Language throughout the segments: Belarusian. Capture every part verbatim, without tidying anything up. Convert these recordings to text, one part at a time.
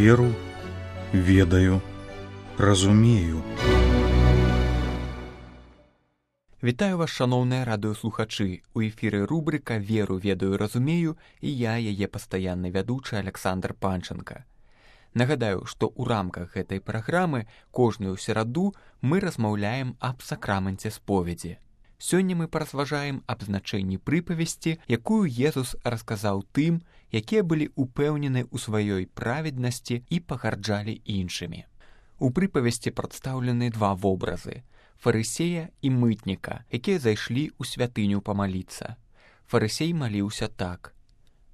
Веру, ведаю, разумею. Вітаю вас, шаноўныя радыёслухачы. У эфіры рубрыка «Веру, ведаю, разумею» і я, яе пастаянны вядучы Александр Панченко. Нагадаю, што ў рамках гэтай праграмы кожную сераду мы размаўляем аб сакраменце споведзі. Сёння мы паразважаем аб значэнні прыпавесці, якую Езус расказаў тым, якія былі упэўнены ў сваёй праведнасці і пагарджалі іншымі. У прыпавесці прадстаўлены два вобразы – фарысея і мытніка, якія зайшлі ў святыню памаліцца. Фарысей маліўся так: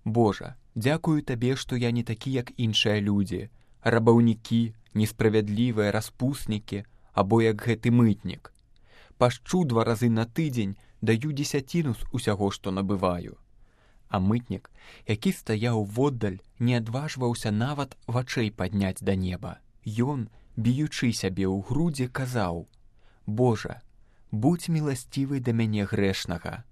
«Божа, дзякую табе, што я не такі, як іншыя людзі, рабаўнікі, несправядлівыя распуснікі, або як гэты мытнік. Пашчу два разы на тыдзень, даю дзесяціну з усяго, што набываю». А мытнік, які стаяў воддаль, не адважваўся нават вачэй падняць да неба. Ён, біючы сябе ў грудзі, казаў: «Божа, будзь міласцівы да мяне грэшнага».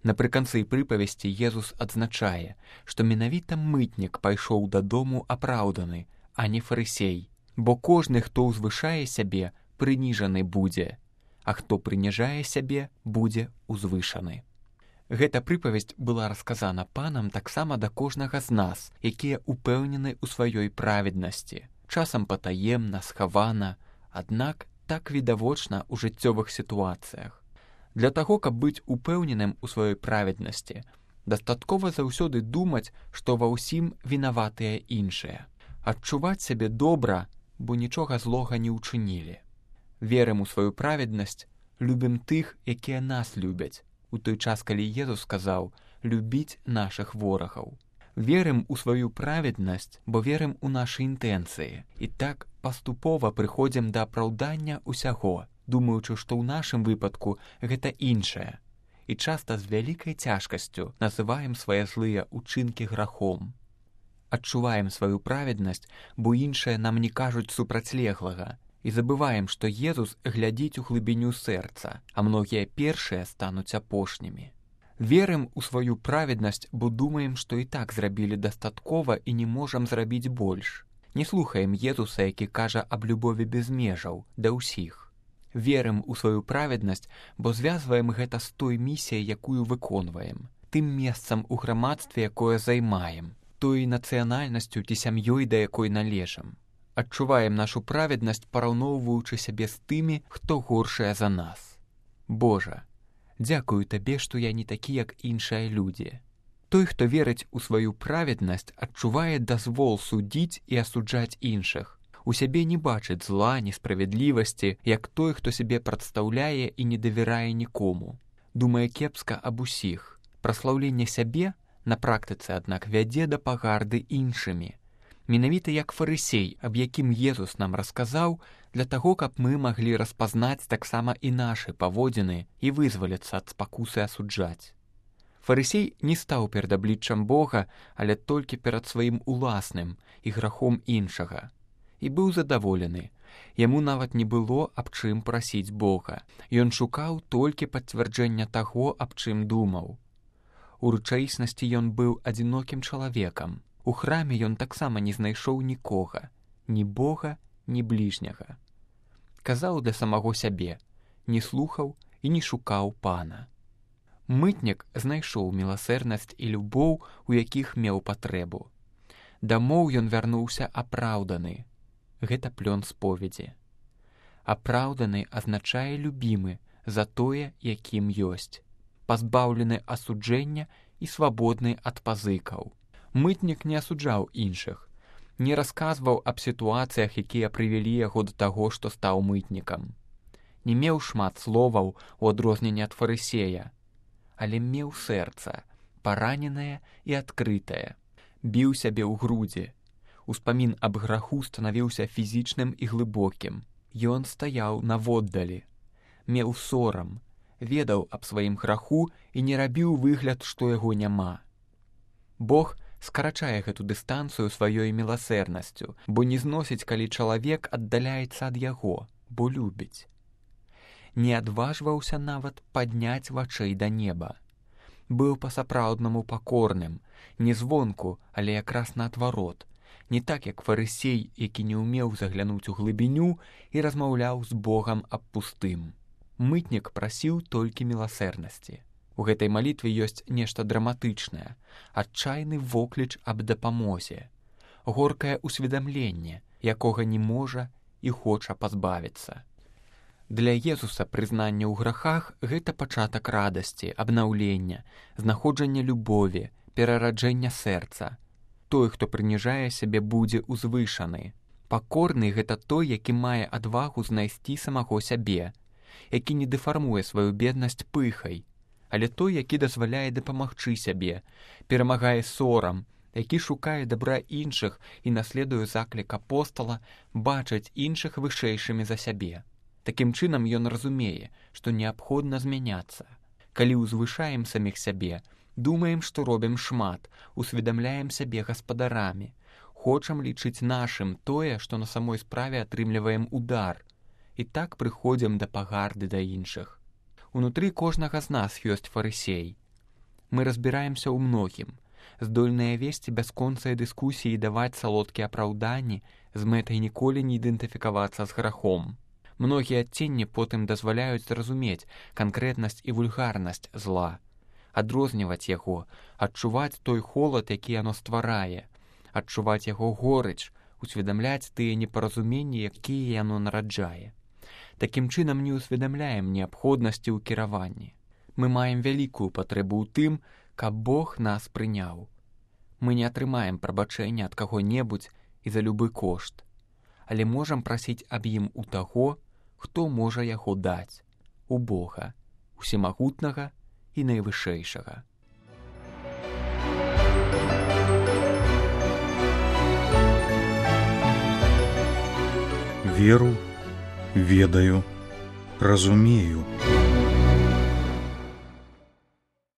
Напрыканцы прыпавесці Езус адзначае, што менавіта мытнік пайшоў дадому апраўданы, а не фарысей, бо кожны, хто ўзвышае сябе, прыніжаны будзе, а хто прыніжае сябе, будзе узвышаны. Гэта прыпавесць была расказана Панам таксама да кожнага з нас, якія упэўнены ў сваёй праведнасці, часам патаемна, схавана, аднак так відавочна ў жыццёвых сітуацыях. Для таго, каб быць упэўненым у сваёй праведнасці, дастаткова заўсёды думаць, што ва ўсім вінаватыя іншыя. Адчуваць сябе добра, бо нічога злога не ўчынілі. Верым у сваю праведнасць, любім тых, якія нас любяць, у той час, калі Езус сказаў «любіць нашых ворагаў». Верым у сваю праведнасць, бо верым у нашы інтэнцыі. І так паступова прыходзім да апраўдання ўсяго, думаючы, што ў нашым выпадку гэта іншае. І часта з вялікай цяжкасцю называем свае злыя ўчынкі грахом. Адчуваем сваю праведнасць, бо іншыя нам не кажуць супрацьлеглага. І забываем, што Езус глядзіць у глыбіню сэрца, а многія першыя стануць апошнімі. Верым у сваю праведнасць, бо думаем, што і так зрабілі дастаткова і не можам зрабіць больш. Не слухаем Езуса, які кажа аб любові без межаў, да ўсіх. Верым у сваю праведнасць, бо звязваем гэта з той місіяй, якую выконваем, тым месцам у грамадстве, якое займаем, той нацыянальнасцю ці сям'ёй, да якой належым. Адчуваем нашу праведнасць, параўноўваючы сябе з тымі, хто горшыя за нас. Божа, дзякую табе, што я не такі, як іншыя людзі. Той, хто верыць у сваю праведнасць, адчувае дазвол судзіць і асуджаць іншых. У сябе не бачыць зла, несправядлівасці, як той, хто сябе прадстаўляе і не давярае нікому. Думае кепска аб усіх. Праслаўленне сябе на практыцы, аднак, вядзе да пагарды іншымі. Менавіта як фарысей, аб якім Езус нам расказаў, для таго, каб мы маглі распазнаць таксама і нашы паводзіны і вызваліцца ад спакусы асуджаць. Фарысей не стаў перад абліччам Бога, але толькі перад сваім уласным і грахом іншага. І быў задаволены. Яму нават не было аб чым прасіць Бога. Ён шукаў толькі пацвярджэння таго, аб чым думаў. У рэчаіснасці ён быў адзінокім чалавекам. У храме ён таксама не знайшоў нікога, ні Бога, ні бліжняга. Казаў для самого сябе, не слухаў і не шукаў Пана. Мытнік знайшоў міласэрнасць і любоў, у якіх меў патрэбу. Дамоў ён вярнуўся апраўданы. Гэта плён споведзі. Апраўданы азначае любімы за тое, якім ёсць, пазбаўлены асуджэння і свабодны ад пазыкаў. Мытнік не асуджаў іншых, не расказваў аб сітуацыях, якія прывялі яго да таго, што стаў мытнікам. Не меў шмат словаў у адрозненне ад фарысея, але меў сэрца, параненае і адкрытае. Біў сябе ў грудзі. Успамін аб граху станавіўся фізічным і глыбокім. Ён стаяў наводдалі. Меў сорам, ведаў аб сваім граху і не рабіў выгляд, што яго няма. Бог скарачае гэту дыстанцыю сваёй міласэрнасцю, бо не зносіць, калі чалавек аддаляецца ад яго, бо любіць. Не адважваўся нават падняць вачэй да неба. Быў па-сапраўднаму пакорным, не звонку, але якраз наадварот, Не так, як фарысей, які не ўмеў заглянуць у глыбіню і размаўляў з Богам аб пустым. Мытнік прасіў толькі міласэрнасці. У гэтай малітве ёсць нешта драматычнае, адчайны вокліч аб дапамозе, горкае ўсведамленне, якога не можа і хоча пазбавіцца. Для Езуса прызнанне ў грахах – гэта пачатак радасці, абнаўлення, знаходжання любові, перараджэння сэрца. Той, хто прыніжае сябе, будзе ўзвышаны. Пакорны – гэта той, які мае адвагу знайсці самого сябе, які не дэфармуе сваю беднасць пыхай, але той, які дазваляе дапамагчы сябе, перамагае сорам, які шукае дабра іншых і наследуе заклік апостала бачыць іншых вышэйшымі за сябе. Такім чынам ён разумее, што неабходна змяняцца. Калі ўзвышаем саміх сябе, думаем, што робім шмат, усведамляем сябе гаспадарамі, хочам лічыць нашым тое, што на самой справе атрымліваем удар, і так прыходзім да пагарды да іншых. Унутры кожнага з нас ёсць фарысей. Мы разбіраемся ў многім, здольныя весці бясконцыя дыскусіі і даваць салодкія апраўданні з мэтай ніколі не ідэнтыфікавацца з грахом. Многія адценні потым дазваляюць зразумець канкрэтнасць і вульгарнасць зла, адрозніваць яго, адчуваць той холад, які яно стварае, адчуваць яго горыч, усведамляць тыя непаразуменні, якія яно нараджае. Такім чынам не ўсведамляем неабходнасці ў кіраванні. Мы маем вялікую патрэбу ў тым, каб Бог нас прыняў. Мы не атрымаем прабачэння ад каго-небудзь і за любы кошт, але можам прасіць аб ім у таго, хто можа яго даць, у Бога, усемагутнага і найвышэйшага. Веру, ведаю, разумею.